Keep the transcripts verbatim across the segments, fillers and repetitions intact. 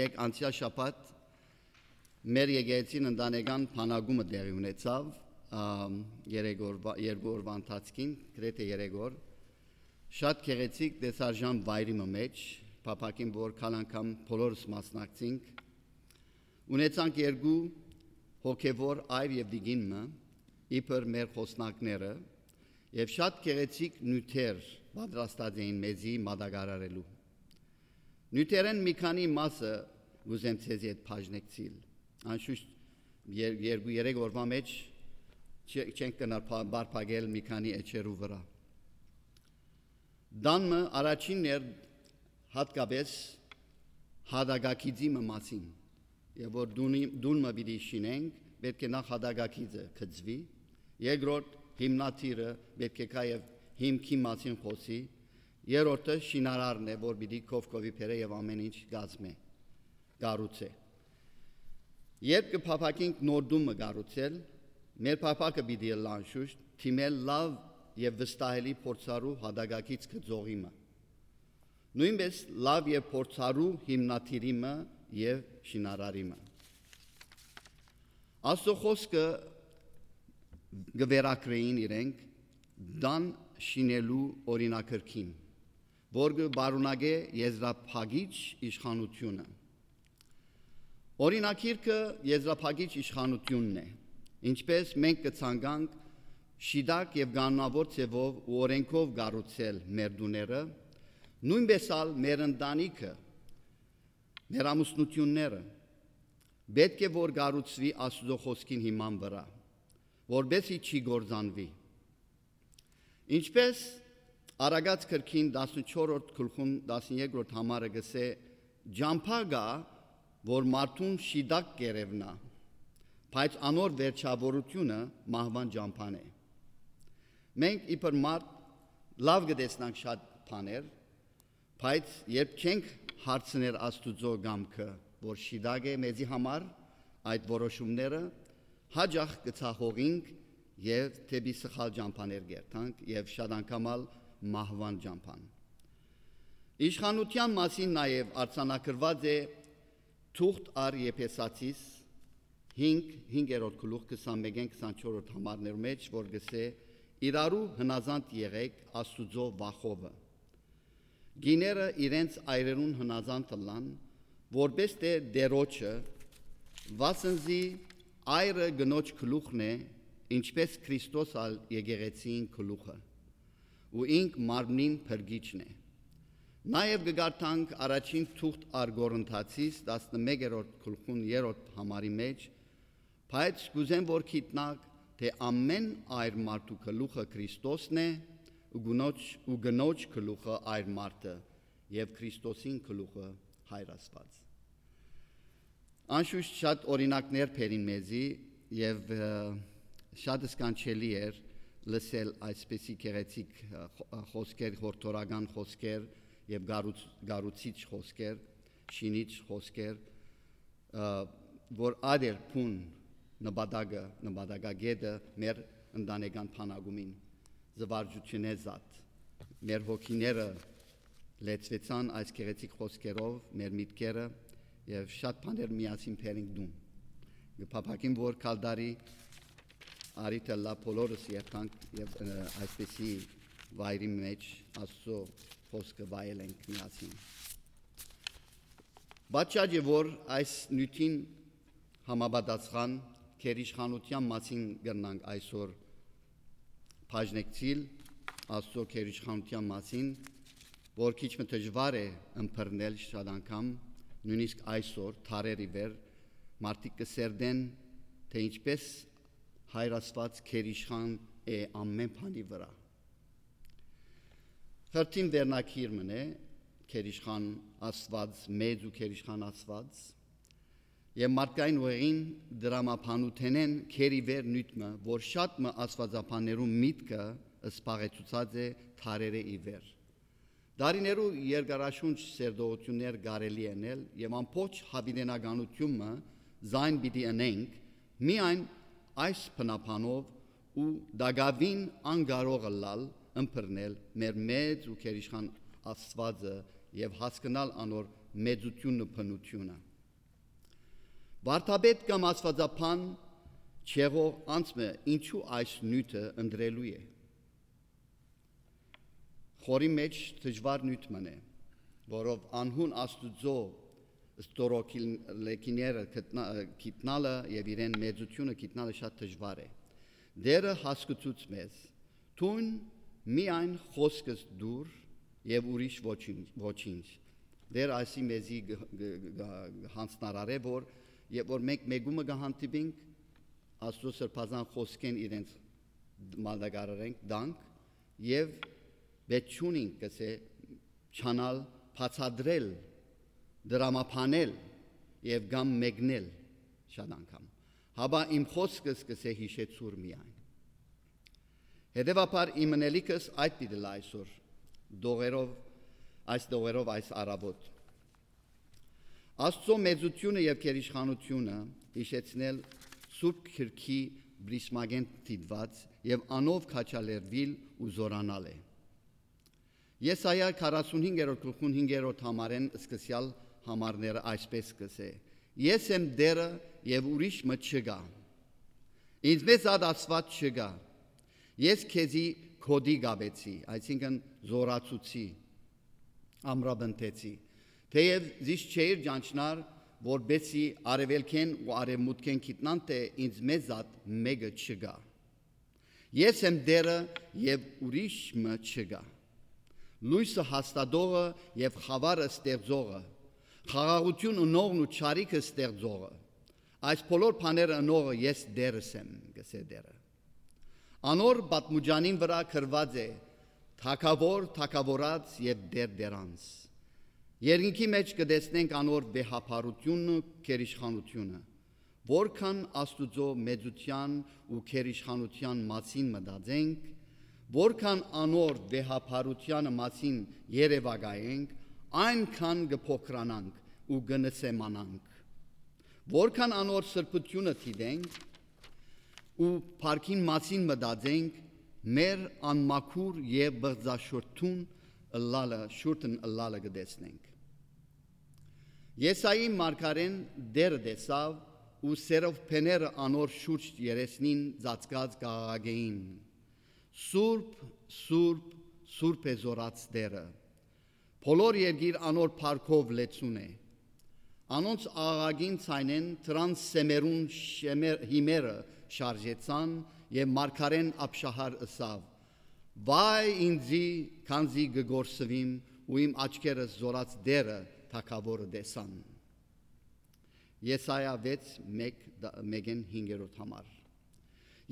Եկեք, անցեալ շաբաթ մեր եկեղեցին ընտանեկան բանակումը տեղի ունեցաւ, ամ, երեք օրվա, երկու օրվա ընթացքին, գրեթէ երեք օր։ Շատ գեղեցիկ տեսարժան վայրի մը մէջ, փափաքին որ քալ անգամ բոլորս մասնակցինք, ունեցանք երկու հոգեվոր այր եւ տիկին մը, իբր մեր խոսնակները, եւ շատ գեղեցիկ նիւթեր պատրաստած էին մեզի մատակարարելու։ Նիւթերէն մի քանի մասը կ'ուզեմ ձեզի հետ բաժնեկցիլ։ Անշուշտ եր-, երկու-երեք օրվա մէջ չէ-, չենք կրնար փա-, պարփակել մի քանի էջերու վրայ։ Տան մը առաջինն էր հատկապէս հատակագիծի մը մասին, եւ որ տունի-, տուն մը պիտի շինենք, պէտք է նախ հատակագիծը գծուի, երկրորդ՝ հիմնադիրը պէտք է գայ եւ հիմքի մասին խօսի, երրորդը շինարարն է, որ պիտի քովքովի բերէ եւ ամէն ինչ կազմէ, կառուցէ։ Երբ կը փափաքենք նոր տուն մը կառուցել, մեր փափաքը պիտի ըլլայ անշուշտ դիմել լաւ եւ վստահելի փորձառու հատակագիծ գծողի մը, նոյնպէս լաւ եւ փորձառու հիմնադիրի մը եւ շինարարի մը։ Աստուծոյ խօսքը կը վերագրէին իրենք տան շինելու օրինակրքին, որ կը պարունակէ եզրափակիչ իշխանութիւնը։ Օրինակիրքը եզրափակիչ իշխանութիւնն է, ինչպէս մենք կը ցանկանք շիտակ եւ կանոնաւոր ձեւով ու օրէնքով կառուցել մեր տուները, նոյնպէս ալ մեր ընտանիքը, մեր ամուսնութիւնները պէտք է որ կառուցուի Աստուծոյ խօսքին հիման վրայ, որպէս զի չի կործանուի։ Ինչպէս Առակաց գրքին տասնչորսերորդ գլխուն տասներկրորդ համարը կ'ըսէ, ճամբայ կայ, որ մարդուն շիտակ կ'երեւնայ, բայց անոր վերջաւորութիւնը մահուան ճամբան է։ Մենք իբր մարդ լաւ կը տեսնանք շատ բաներ, բայց երբ չենք հարցներ Աստուծոյ կամքը, որ շիտակ է մեզի համար, այդ որոշումները, յաճախ կը ցախողինք եւ դէպի սխալ ճամբաներ կ'երթանք եւ շատ անգամ ալ մահուան ճամբան։ Իշխանութեան մասին նաեւ արձանագրուած է թուղթ առ Եփեսացիս հինգ, հինգերորդ գլուխ, քսանմէկէն քսանչորսերորդ համարներու մէջ, որ կ'ըսէ. «Իրարու հնազանդ եղէք Աստուծոյ վախովը»։ Կիները իրենց այրերուն հնազանդ ըլլան, որպէս թէ Տէրոջը, վասն զի այրը կնոջ գլուխն է, ինչպէս Քրիստոս ալ եկեղեցիին գլուխը, ու ինք մարմնին փրկիչն է։ Նաեւ կը կարդանք առաջին թուղթ առ Կորինթացիս տասնմէկերորդ գլխուն երրորդ համարի մէջ, բայց կ'ուզեմ որ գիտնաք, թէ ամէն այր մարդու գլուխը Քրիստոսն է, ու կնոջ, ու կնոջ գլուխը այր մարդը, եւ Քրիստոսին գլուխը Հայր Աստուած։ Անշուշտ շատ օրինակներ բերին մեզի, եւ, ը, շատ սքանչելի էր լսել այսպիսի գեղեցիկ, ը, խո-, ը, խօսքեր, յորդորական խօսքեր եւ գառուց-, գառուցիչ խօսքեր, շինիչ խօսքեր, ը, որ ատեր բուն նպատակը, նպատակագետը մեր ընտանեկան բանակումին զվարճութիւնէ զատ։ Մեր հոգիները լեցուեցան այս գեղեցիկ խօսքերով, մեր միտքերը, եւ շատ բաներ միասին բերենք տուն։ Կը փափաքեմ, որ քալդարի արիթը լա բոլորս երթանք եւ, ը, այսպիսի վայրի մէջ Աստուծոյ խօսքը վայելենք միասին։ Պատճառ է, որ այս նիւթին համապատասխան գերիշխանութեան մասին կրնանք այսօր բաժնեկցիլ, Աստուծոյ գերիշխանութեան մասին, որ քիչ մը դժուար է ըմբռնել շատ անգամ, նոյնիսկ այսօր, դարեր ի վեր, մարդիկ կը սերտեն, թէ ինչպէս Հայր Աստուած գերիշխան է ամէն բանի վրայ։ Խրթին վերնագիր մըն է, գերիշխան Աստուած, մեծ ու գերիշխան Աստուած, եւ մարդկային ուղին դրամաբանութենէն գերիվեր նիւթ մը, որ շատ մը աստուածաբաններու միտքը սպաղեցուցած է դարերէ ի վեր։ Դարիներու երկարաշունչ սերտողութիւններ կարելի է ընել եւ ամբողջ յաւիտենականութիւնը զայն պիտի ընենք, միայն այս բնաբանով ու տակաւին անկարող ըլլալ ըմբռնել մեր մեծ ու գերիշխան Աստուածը եւ հասկնալ անոր մեծութիւնն ու բնութիւնը։ Վարդապետ կամ աստուածաբան չեղող անձ մը ինչու այս նիւթը ընտրելու է։ Խորի մէջ դժուար նիւթ մըն է, որով անհուն Աստուծոյ ստորոգիլեքիները գտնա-, գիտնալը եւ իրեն մեծութիւնը գիտնալը շատ դժուար է։ Տէրը հասկցուց մեզ. «Դուն միայն խօսքս դուր եւ ուրիշ ոչինչ, ոչինչ»։ Տէր այսի մեզի գ-, գ-, գ-, յանձնարարէ, որ երբ որ մենք մեկումը կը հանդիպինք, Աստուծոյ սրբազան խօսքէն իրենց մատակարարենք, տանք եւ պէտք չունինք, կսէ, չանալ, բացատրել, դրամաբանել եւ կամ մեկնել շատ անգամ։ Հապա իմ խօսքս կսէ հիշեցուր միայն։ Հետեւաբար իմ ընելիքս այդ պիտի լա այսօր, դողերով, այս դողերով այս առավոտ։ Աստուծոյ մեծութիւնը եւ գերիշխանութիւնը հիշեցնել Սուրբ Գրքի պրիսմակէն դիտուած եւ անով քաջալերուիլ ու զօրանալ է։ Եսայիա քառասունհինգերորդ գլխուն հինգերորդ համարէն սկսեալ համարները այսպէս կ'ըսէ. «Ես եմ Տէրը եւ ուրիշ մը չկայ։ Ինձմէ զատ Աստուած չկայ։ Ես քեզի գօտի կապեցի», այսինքն՝ զօրացուցի, ամրապնդեցի, թէեւ զիս չէիր ճանչնար, որպէսզի արեւելքէն ու արեւմուտքէն գիտնան թէ ինձմէ զատ մէկը չկայ։ Ես եմ Տէրը եւ ուրիշ մը չկայ։ Լոյսը հաստատողը եւ խաւարը ստեղծողը, խաղաղութիւն ընողն ու չարիքը ստեղծողը, այս բոլոր բաները ընողը ես Տէրս եմ, կ'ըսէ Տէրը։ Անոր պատմուճանին վրայ գրուած է. «Թագաւոր թագաւորաց եւ Տէր Տէրանց»։ Երկնքի մէջ կը տեսնենք անոր վեհափառութիւնը, գերիշխանութիւնը։ Որքան Աստուծոյ մեծութեան ու գերիշխանութեան մասին մտածենք, որքան անոր վեհափառութեանը մասին երեւակայենք, այնքան կը փոքրանանք ու կը նսեմանանք։ Որքան անոր սրբութիւնը դիտենք ու փառքին մասին մտածենք, մեր անմաքուր եւ բղծաշուրթուն ըլլալը, շուրթն ըլլալը կը տեսնենք։ Եսայի մարգարէն Տէրը տեսաւ ու սերովբեները անոր շուրջ երեսնին ծածկած կ'աղաղակէին. «Սուրբ, սուրբ, սուրբ է զօրաց Տէրը։ Բոլոր երկիր անոր փառքով լեցուն է»։ Անոնց աղաղակին ձայնէն դրանց սեմերուն շեմեր-, հիմերը շարժեցան եւ մարգարէն Աբշահար ըսաւ. «Վայ ինձի, քանզի կը կորսուիմ ու իմ աչքերս զօրաց Տէրը թագաւորը տեսան»։ Եսայա վեց, մէկ, մէկէն հինգերորդ համար։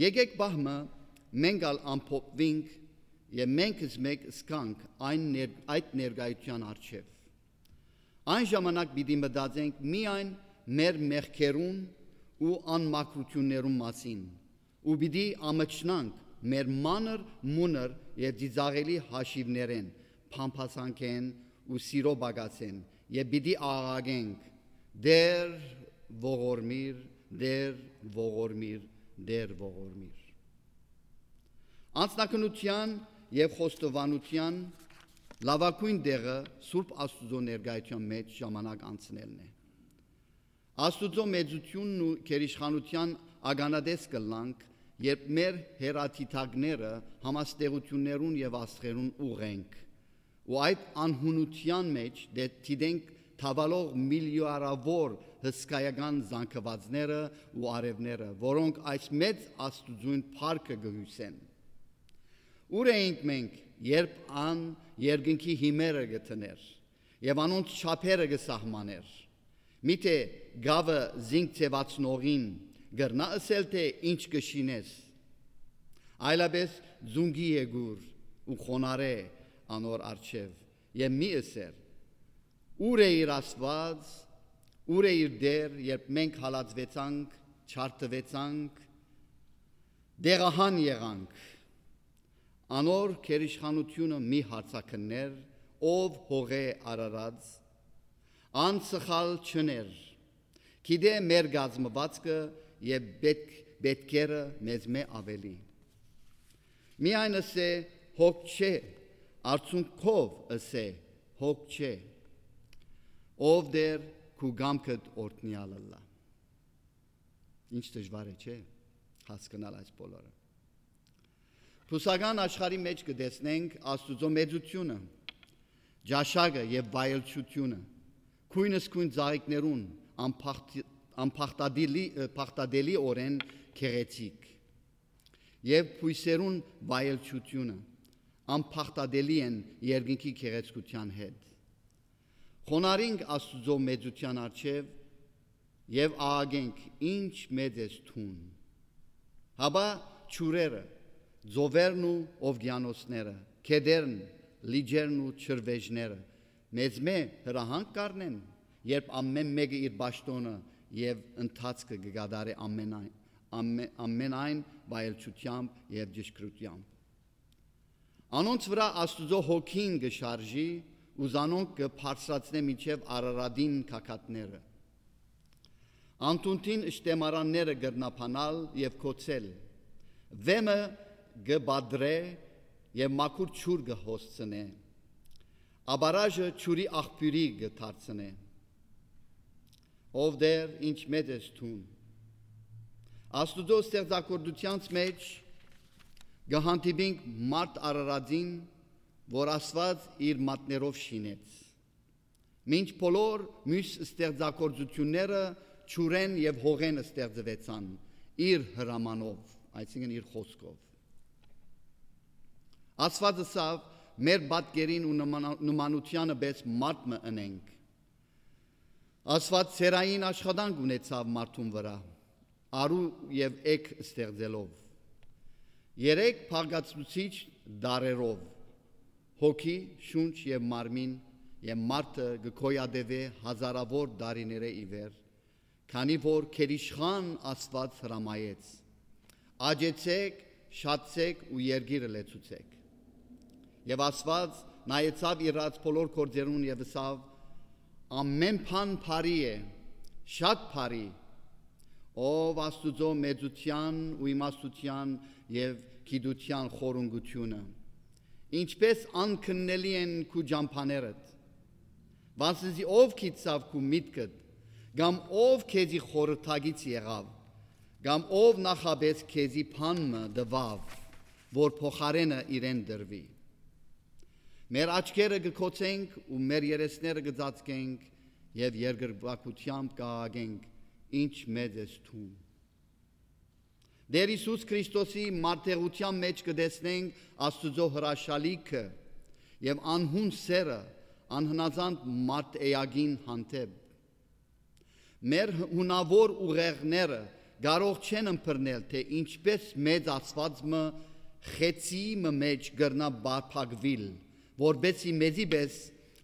Եկէք պահ մը մենք ալ ամփոփուինք եւ մենք զմեկ զգանք այն ներ-, այդ ներկայութեան առջեւ։ Այն ժամանակ պիտի մտածենք միայն մեր մեղքերուն ու անմաքրութիւններուն մասին ու պիտի ամչնանք մեր մանր, մունր եւ ծիծաղելի հաշիւներէն, փամփասանքէն ու սիրո պակասէն եւ պիտի աղաղակենք. «Տէր, ողորմիր, Տէր, ողորմիր, Տէր, ողորմիր»։ Անձնակնության եւ խոստովանության լաւագոյն տեղը Սուրբ Աստուծոյ ներկայութեան մէջ ժամանակ անցնելն է։ Աստուծոյ մեծութիւնն ու գերիշխանութեան ականատես կ'ըլլանք, երբ մեր հեռադիտակները համաստեղութիւններուն եւ աստղերուն ուղղենք, ու այդ անհունութեան մէջ դե դիտենք թաւալող միլիարդաւոր հսկայական զանգուածները ու արեւները, որոնք այս մեծ Աստուծոյն փառքը կը հիւսեն։ Ո՞ւր էինք մենք, երբ ան երկնքի հիմերը կը դներ եւ անոնց չափերը կը սահմանէր։ Միթէ գաւը զինք ձեւացնողին կրնա ըսել թէ. «Ի՞նչ կը շինես»։ Այլապէս զունկի եկուր ու խոնարհէ անոր առջեւ եւ մի ըսեր. «Ո՞ւր է իր Աստուած, ո՞ւր է իր Տէր»։ Երբ մենք հալածուեցանք, չարդուեցանք, տեղահան եղանք, անոր գերիշխանութիւնը մի հարցաքններ, ով հողէ արարած, անսխալ չներ, գիտէ մեր կազմուածքը եւ պետք-, պետքերը մեզմէ աւելի։ Միայն ըսէ. «Հոգ չէ», արցունքով ըսէ. «Հոգ չէ»։ Ով Տէր, քու կամքդ օրհնեալ ըլլայ։ Ինչ դժուար է, չէ՞, հասկնալ այս բոլորը։ Բուսական աշխարհի մէջ կը տեսնենք Աստուծոյ մեծութիւնը, ճաշակը եւ վայելչութիւնը, գոյնս գոյն ծաղիկներուն անփախտ-, անփախտատելի-, ը, փախտատելիօրէն գեղեցիկ, եւ բոյսերուն վայելչութիւնը անփախտատելի են երկնքի գեղեցկութեան հետ։ Խոնարհինք Աստուծոյ մեծութեան առջեւ եւ աղաղենք. «Ինչ մեծ ես դուն»։ Հապա ջուրերը, ծովերն ու ովկիանոսները, գետերն, լիճերն ու ջրվեժները մեզմէ հրահանգ կ'առնեն, երբ ամէն մէկը իր պաշտօնը եւ ընթացքը կը կատարէ ամենայն, ամէ-, ամենայն վայելչութեամբ եւ ճշգրութեամբ։ Անոնց վրայ Աստուծոյ հոգին կը շարժի ու զանոնք կը բարձրացնէ մինչեւ Արարատին գագաթները։ Անդունդին շտեմարանները կրնաբանալ եւ գոցել։ Վէմը կը պատռէ եւ մաքուր ջուր կը հոսցնէ։ Աբարաժը ջուրի աղբիւրի կը դարձնէ։ Ով Տէր, ինչ մեծ ես դուն։ Աստուծոյ ստեղծագործութեանց մէջ կը հանդիպինք մարդ Արարածին, որ Աստուած իր մատներով շինեց։ Մինչ բոլոր միւս ստեղծագործութիւնները ջուրէն եւ հողէն ստեղծուեցան, իր հրամանով, այսինքն՝ իր խօսքով։ Աստուած ըսաւ. «Մեր պատկերին ու նմանա-, նմանութեանը պէս մարդ մը ընենք»։ Աստուած սերային աշխատանք ունեցաւ մարդուն վրայ, արու եւ էգ ստեղծելով։ Երեք բաղկացուցիչ տարրերով՝ հոգի, շունչ եւ մարմին, եւ մարդը կը գոյատեւէ հազարաւոր տարիներէ ի վեր, քանի որ գերիշխան Աստուած հրամայեց. «Աճեցէք, շատցէք ու երկիրը լեցուցէք»։ Եւ Աստուած նայեցաւ իրաց բոլոր գործերուն եւ ըսաւ. «Ամէն բան բարի է, շատ բարի, ով Աստուծոյ մեծութեան ու իմաստութեան եւ գիտութեան խորունկութիւնը։ Ինչպէս անքննելի են քու ճամբաներդ, վասն զի ով գիտցաւ քու միտքդ, կամ ով քեզի խորհրդակից եղաւ, կամ ով նախապէս քեզի բան մը տուաւ, որ փոխարէնը իրեն տրուի»։ Մեր աչքերը կը գոցենք ու մեր երեսները կը ծածկենք եւ երկրպագութեամբ կ'աղաղենք. «Ինչ մեծ ես դուն»։ Տէր Յիսուս Քրիստոսի մարտերութեան մէջ կը տեսնենք Աստուծոյ հրաշալիքը եւ անհուն սէրը անհնազանդ մարդ էակին հանդէպ։ Մեր հունաւոր ուղեղները կարող չեն ըմբռնել, թէ ինչպէս մեծ Աստուած մը խեցի մը մէջ կրնայ պարփակուիլ, որպէս զի մեզի պէս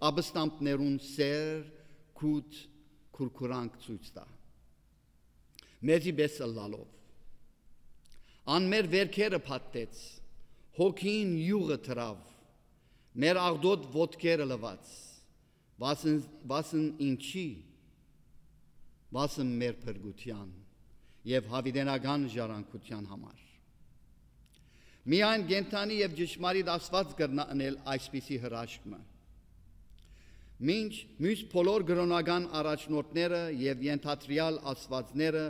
ապստամբներուն սէր, գութ, քուրքուրանք ցոյց տայ, մեզի պէս ըլլալով։ Ան մեր վէրքերը փաթթեց, հոգին իւղը դրաւ, մեր աղտոտ ոտքերը լուաց, վասն, վասն ինչի, վասն մեր փրկութեան եւ յաւիտենական ժառանգութեան համար։ Միայն կենդանի եւ ճշմարիտ Աստուած կրնայ ընել այսպիսի հրաշք մը։ Մինչ միւս բոլոր կրօնական առաջնորդները եւ ենթադրեալ աստուածները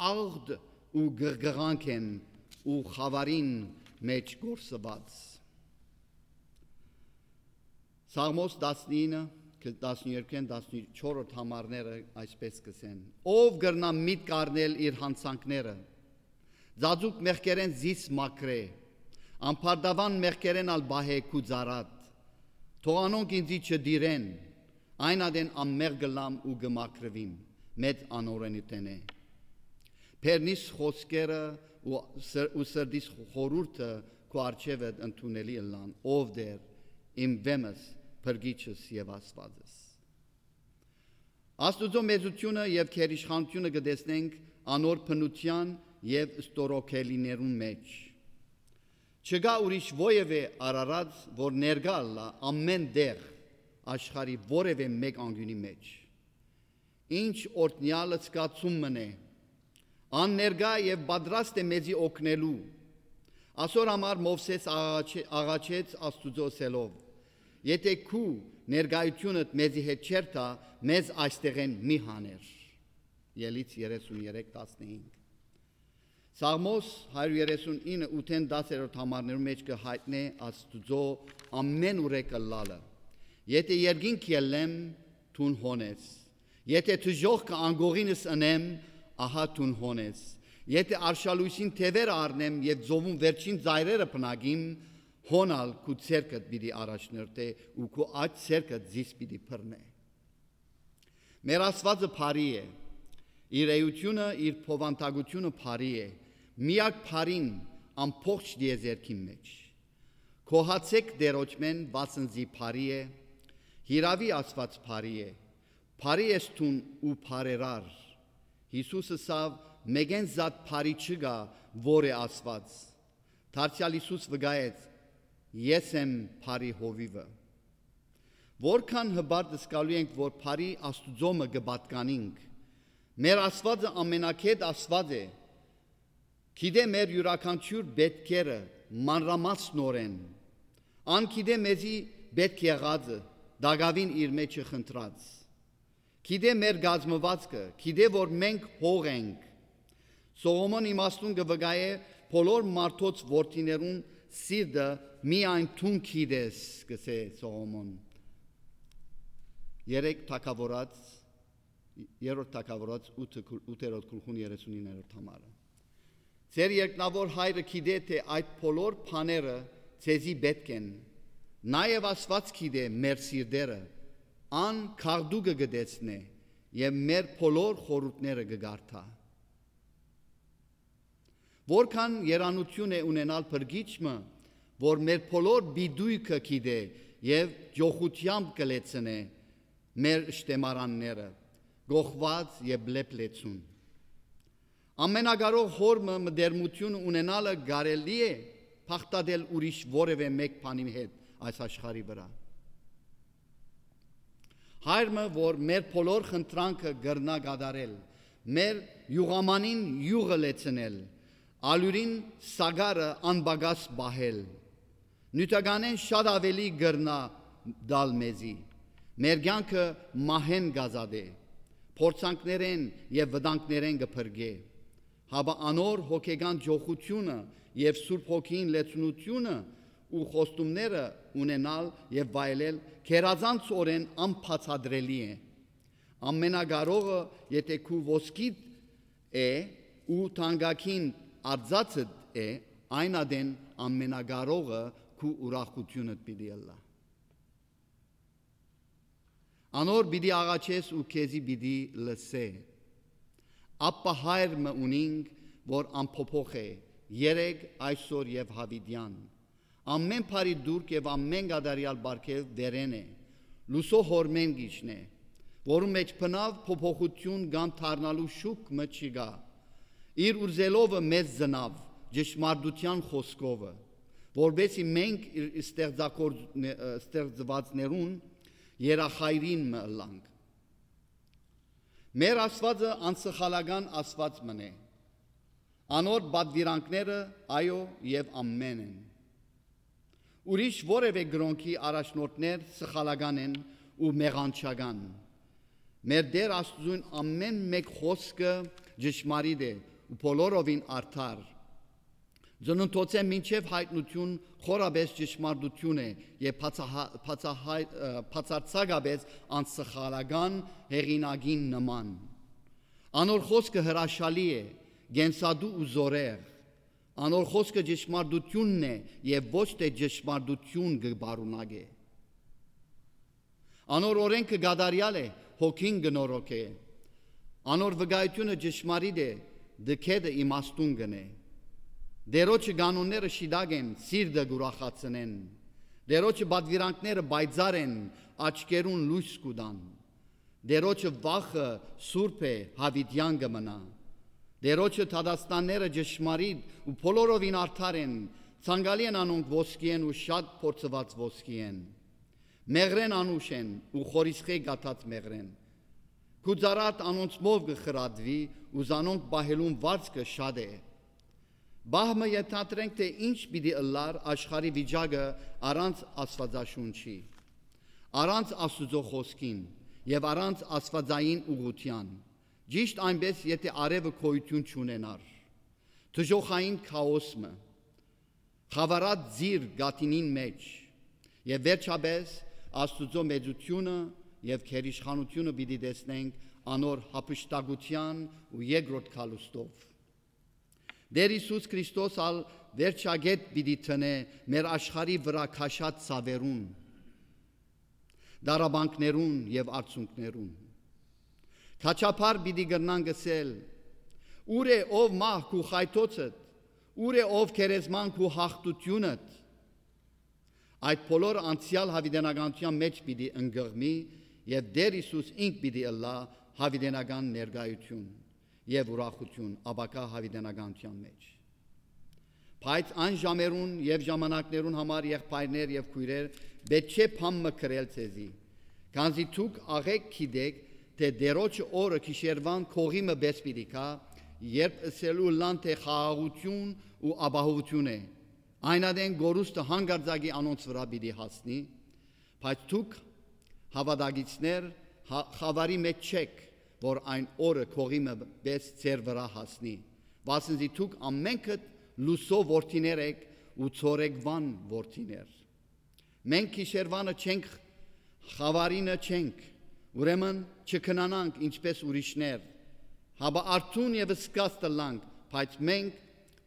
աղտ ու գղգղանք են ու խաւարին մէջ կորսուած։ Սաղմոս տասնինը, տասներկուքէն տասնչորսերորդ համարները այսպես կ'ըսեն. «Ո՞վ կրնայ միտք առնել իր յանցանքները։ Ծածուկ մեղքերէն զիս մաքրէ, ամբարտաւան մեղքերէն ալ պահէ քու ծառադ։ Թող անոնք ինծի չտիրեն, այն ատեն անմեղ կ'ըլլամ ու կը մաքրուիմ մեծ անօրէնութենէ։ Բեռնիս խօսքերը ու սր-, ու սրտիս խորհուրդը քու առջեւդ ընդունելի ըլլան, ով Տէր, իմ վէմս, փրկիչս եւ Աստուածս»։ Աստուծոյ մեծութիւնը եւ գերիշխանութիւնը կը տեսնենք անոր բնութեան եւ ստորոգելիներուն մէջ։ Չկայ ուրիշ որեւէ Արարած, որ ներկայ ըլլայ ամէն տեղ աշխարհի որեւէ մէկ անկիւնի մէջ։ Ինչ օրհնեալ զգացում մըն է։ Ան ներկայ եւ պատրաստ է մեզի օգնելու։ Ասոր համար Մովսէս աղաչե-, աղաչեց Աստուծոյ ըսելով. «Եթէ քու ներկայութիւնդ մեզի հետ չէր տայ, մեզ այստեղէն մի հաներ»։ Ելից երեսուն երեք տասնհինգ։ Սաղմոս հարիւր երեսունինը, ութէն տասերորդ համարներու մէջ կը յայտնէ Աստուծոյ ամէն ուրեք ըլլալը։ «Եթէ երկինք ելլեմ, դուն հոն ես։ Եթէ դժոխքը անկողինս ընեմ, ահա դուն հոն ես։ Եթէ արշալոյսին թեւերը առնեմ եւ ծովուն վերջին ծայրերը բնակիմ, հոն ալ քու ձեռքդ պիտի առաջնորդէ ու քու աջ ձեռքդ զիս պիտի բռնէ»։ Մեր Աստուածը բարի է։ Իր էությունը, իր բովանդակությունը բարի է։ Միակ բարին ամբողջ տիեզերքին մէջ։ Գոհացէք Տէրոջմէն, վասն զի բարի է։ Հիրաւի Աստուած բարի է։ Բարի ես դուն ու բարերար։ Յիսուս ըսաւ. «Մէկէն զատ բարի չկայ, որ է Աստուած»։ Դարձեալ Յիսուս վկայեց. «Ես եմ բարի հովիւը»։ Որքան հպարտ զգալու ենք, որ բարի Աստուծոյ մը կը պատկանինք։ Մեր Աստուածը ամենագետ Աստուած է։ Գիտէ մեր իւրաքանչիւր պէտքերը մանրամասնօրէն։ Ան գիտէ մեզի պէտք եղածը, տակաւին իր մէջը խնդրած։ Գիտէ մեր կազմուածքը, գիտէ որ մենք հող ենք։ Սողոմոն իմաստուն կը վկայէ. «Բոլոր մարդոց որդիներուն սիրտը միայն դուն գիտես», կ'ըսէ Սողոմոն։ Երեք թագաւորաց, երրորդ թագաւորաց ութը, ութերորդ գլխուն երեսունիններորդ համարը։ Ձեր երկնաւոր Հայրը գիտէ, թէ այդ բոլոր բաները ձեզի պէտք են։ Նաեւ Աստուած գիտէ մեր սիրտերը, ան գաղտուկը կը տեսնէ եւ մեր բոլոր խորհուրդները կը կարդայ։ Որքան երանութիւն է ունենալ փրկիչ մը, որ մեր բոլոր պիտոյքը գիտէ եւ ճոխութեամբ կը լեցնէ մեր շտեմարանները, գողուած եւ լեփլեցուն։ Ամենակարող Հօր մը մտերմութիւն ունենալը կարելի է բաղդատել ուրիշ որեւէ մէկ բանի հետ այս աշխարհի վրայ։ Հայր մը, որ մեր բոլոր խնդրանքը կրնայ կատարել, մեր իւղամանին իւղը լեցնել, ալիւրին սակարը անպակաս պահել, նիւթականէն շատ աւելի կրնայ տալ մեզի, մեր կեանքը մահէն կ'ազատէ, փորձանքներէն եւ վտանգներէն կը փրկէ, հապա անոր հոգեկան ճոխութիւնը եւ Սուրբ Հոգիին լեցունութիւնը ու խոստումները ունենալ եւ վայելել գերազանցօրէն անբացատրելի է։ Ամենակարողը, եթէ քու ոսկիդ է ու թանկագին արծաթդ է, այն ատեն Ամենակարողը քու ուրախութիւնդ պիտի ըլլայ։ Անոր պիտի աղաչես ու քեզի պիտի լսէ։ Աբբա Հայր մը ունինք, որ անփոփոխ է, երեկ, այսօր եւ յաւիտեան։ Ամէն բարի տուրք եւ ամէն կատարեալ պարգեւ վերէն է, լուսոյ Հօրմէն կ'իջնէ, որուն մէջ բնաւ փոփոխութիւն կամ դառնալու շուք մը չկայ։ Իր ուզելով մեզ ծնաւ ճշմարտութեան խօսքովը, որպէսզի մենք իր ստեղծագործ-, ստեղծուածներուն երախայրին մը ըլլանք։ Մեր Աստուածը անսխալական Աստուած մըն է։ Անոր պատուիրանքները, այո, եւ ամէն են։ Ուրիշ որեւէ կրօնքի առաջնորդներ սխալական են ու մեղանչական։ Մեր Տէր Աստուծոյն ամէն մէկ խօսքը ճշմարիտ է ու բոլորովին արդար։ Ծնունդոցէն մինչեւ յայտնութիւն խորապէս ճշմարտութիւն է եւ բացահա-, բացահայ-, ը, բացարձակապէս անսխալական հեղինակին նման։ Անոր խօսքը հրաշալի է, կենսատու ու զօրեղ։ Անոր խօսքը ճշմարտութիւնն է եւ ոչ թէ ճշմարտութիւն կը պարունակէ։ Անոր օրէնքը կատարեալ է, հոգին կը նորոգէ։ Անոր վկայութիւնը ճշմարիտ է, դքեդը իմաստուն կ'ընէ։ Տէրոջը կանոնները շիտակ են, սիրտը կ'ուրախացնեն։ Տէրոջը պատուիրանքները պայծառ են, աչքերուն լոյս կու տան։ Տէրոջը վախը սուրբ է, յաւիտեան կը մնայ։ Տէրոջը դատաստանները ճշմարիտ ու բոլորովին արդար են, ցանկալի են անոնք ոսկիէն ու շատ փորձուած ոսկիէն։ Մեղրէն անուշ են ու խորիսխէ կաթած մեղրէն։ Քու ծառադ անոնցմով կը խրատուի ու զանոնք պահելուն վարձքը շատ է։ Պահ մը ենթադրենք, թէ ինչ պիտի ըլլար աշխարհի վիճակը առանց Աստուածաշունչի, առանց Աստուծոյ խօսքին եւ առանց աստուածային ուղղութեան, ճիշտ այնպէս, եթէ արեւը գոյութիւն չունենար։ դժոխային քաոս մը, խաւարած ձիր գաթինին մէջ, եւ վերջապէս Աստուծոյ մեծութիւնը եւ գերիշխանութիւնը պիտի տեսնենք անոր յափշտակութեան ու երկրորդ գալուստով։ Տէր Յիսուս Քրիստոս ալ վերջակետ պիտի դնէ մեր աշխարհի վրայ քաշած ցաւերուն, տառապանքներուն եւ արցունքներուն։ Քաչափառ պիտի կրնանք ըսել. «Ո՞ւր է, ով մահ, քու խայթոցդ, ո՞ւր է, ով գերեզման, քու յաղթութիւնդ»։ Այդ բոլորը անցեալ յաւիտենականութեան մէջ պիտի ընկղմի եւ Տէր Յիսուս ինք պիտի ըլլայ յաւիտենական ներկայութիւն եւ ուրախութիւն ապագայ յաւիտենականութեան մէջ։ Բայց այն ժամերուն եւ ժամանակներուն համար, եղբայրներ եւ քոյրեր, պէտք չէ բան մը գրել ձեզի, քանզի դուք աղէկ գիտէք թէ Տէրոջը օրը գիշերուան քողի մը պէս պիտի գայ, երբ ըսելու ըլլան թէ խաղաղութիւն ու ապահովութիւն է, այն ատեն կորուստը հանկարծակի անոնց վրայ պիտի հասնի, բայց դուք, հաւատակիցներ, հա- խաւարի մէջ չէք, որ այն օրը քողի մը պէս ձեր վրայ հասնի, վասն զի դուք ամենքդ լուսոյ որդիներ էք ու ցորեկուան որդիներ։ Մենք գիշերուանը չենք, խաւարինը չենք, ուրեմն չքնանանք ինչպէս ուրիշներ, հապա արթուն եւ զգաստ ըլլանք, բայց մենք,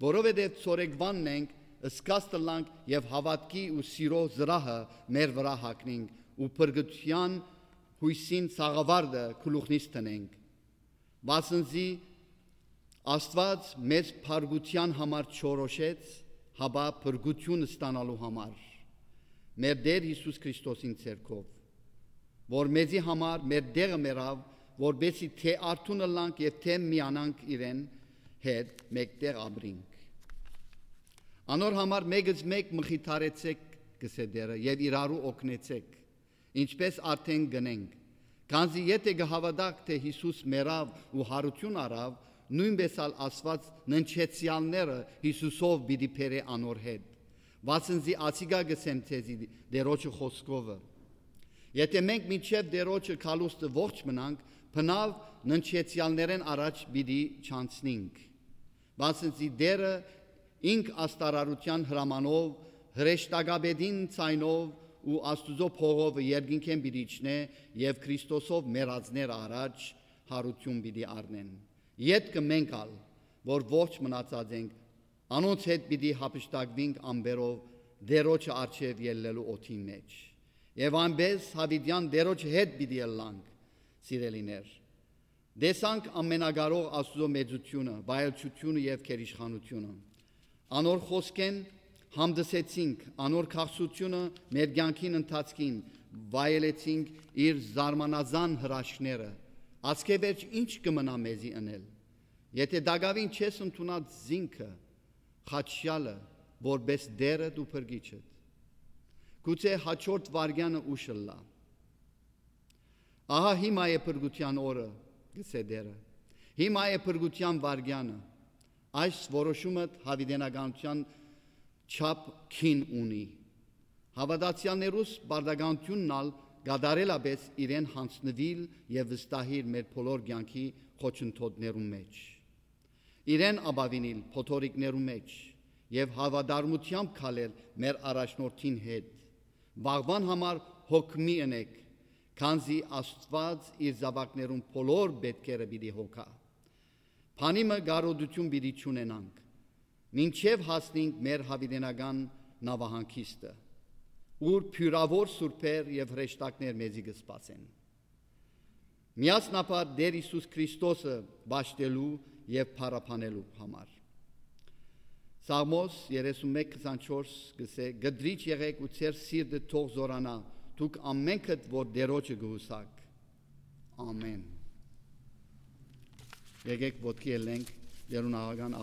որովհետեւ ցորեկուանն ենք, զգաստ ըլլանք եւ հաւատքի ու սիրո զրահը մեր վրայ հագնինք ու փրկութեան յոյսին սաղավարտը գլուխնից դնենք, վասն զի Աստուած մեզ փրկութեան համար չորոշեց, հապա փրկութիւն ստանալու համար, մեր Տէր Յիսուս Քրիստոսին ձեռքով, որ մեզի համար մեր տեղը մեռաւ, որպեսզի թէ արթուն ըլլանք եւ թէ միանանք իրեն հետ, մէկտեղ ապրինք։ Անոր համար մէկզմէկ մխիթարեցէք, կ'ըսէ Տէրը, եւ իրարու օգնեցէք, ինչպէս արդէն կ'ընենք։ Քանզի եթէ կը հաւատաք թէ Յիսուս մեռաւ ու յարութիւն առաւ, նոյնպէս ալ Աստուած ննջեցեալները Յիսուսով պիտի բերէ անոր հետ, վասն զի ասիկա կ'ըսեմ ձեզի Տէրոջը խօսքովը. եթէ մենք մինչեւ Տէրոջը գալուստը ողջ մնանք, բնաւ ննջեցեալներէն առաջ պիտի չանցնինք, վասն զի Տէրը ինք աստարարութեան հրամանով, հրեշտակապետին ձայնով ու Աստուծոյ փողովը երկնքէն պիտի իջնէ եւ Քրիստոսով մեռածները առաջ յարութիւն պիտի առնեն։ Ետքը մենք ալ, որ ողջ մնացած ենք, անոնց հետ պիտի յափշտակուինք ամպերով Տէրոջը առջեւ ելլելու օդին մէջ։ Եւ այնպէս յաւիտեան Տէրոջը հետ պիտի ըլլանք, սիրելիներ։ Տեսանք Ամենակարող Աստուծոյ մեծութիւնը, վայելչութիւնը եւ գերիշխանութիւնը։ Անոր խօսքէն հանդիսեցինք, անոր քաղցրութիւնը մեր կեանքին ընթացքին վայելեցինք իր զարմանազան հրաշքները։ Ասկէ վերջ ի՞նչ կը մնայ մեզի ընել, եթէ տակաւին չես ընդունած զինքը, խաչեալը, որպէս Տէրդ ու Փրկիչդ։ Գուցե հաջորդ վայրկեանը ուշ ըլլայ։ Ահա հիմա է փրկութեան օրը, կ'ըսէ Տէրը։ Հիմա է փրկութեան վայրկեանը։ Այս որոշումը յաւիտենականութեան չափ գին ունի։ Հաւատացեալներուս պարտականութիւնն ալ կատարելապէս իրեն յանձնուիլ եւ վստահիլ մեր բոլոր կեանքի խոչընդոտներուն մէջ, իրեն ապաւինիլ փոթորիկներու մէջ եւ հաւատարմութեամբ քալել մեր առաջնորդին հետ։ Վաղուան համար հոգ մի ընեք, քանզի Աստուած իր զաւակներուն բոլոր պէտքերը պիտի հոգայ։ Բանի մը կարօտութիւն պիտի չունենանք, մինչեւ հասնինք մեր յաւիտենական նաւահանգիստը, ուր բիւրաւոր սուրբեր եւ հրեշտակներ մեզի կը սպասեն, միասնաբար Տէր Յիսուս Քրիստոսը պաշտելու եւ փառաբանելու համար։ Սաղմոս երեսունմեկ քսանչորս կ'ըսէ. «Կտրիճ եղէք ու ձեր սիրտը թող զօրանայ, դուք ամենքդ որ Տէրոջը կը յուսաք»։ Ամեն։ Եկէք ոտքի ելլենք, Տէրուն աղական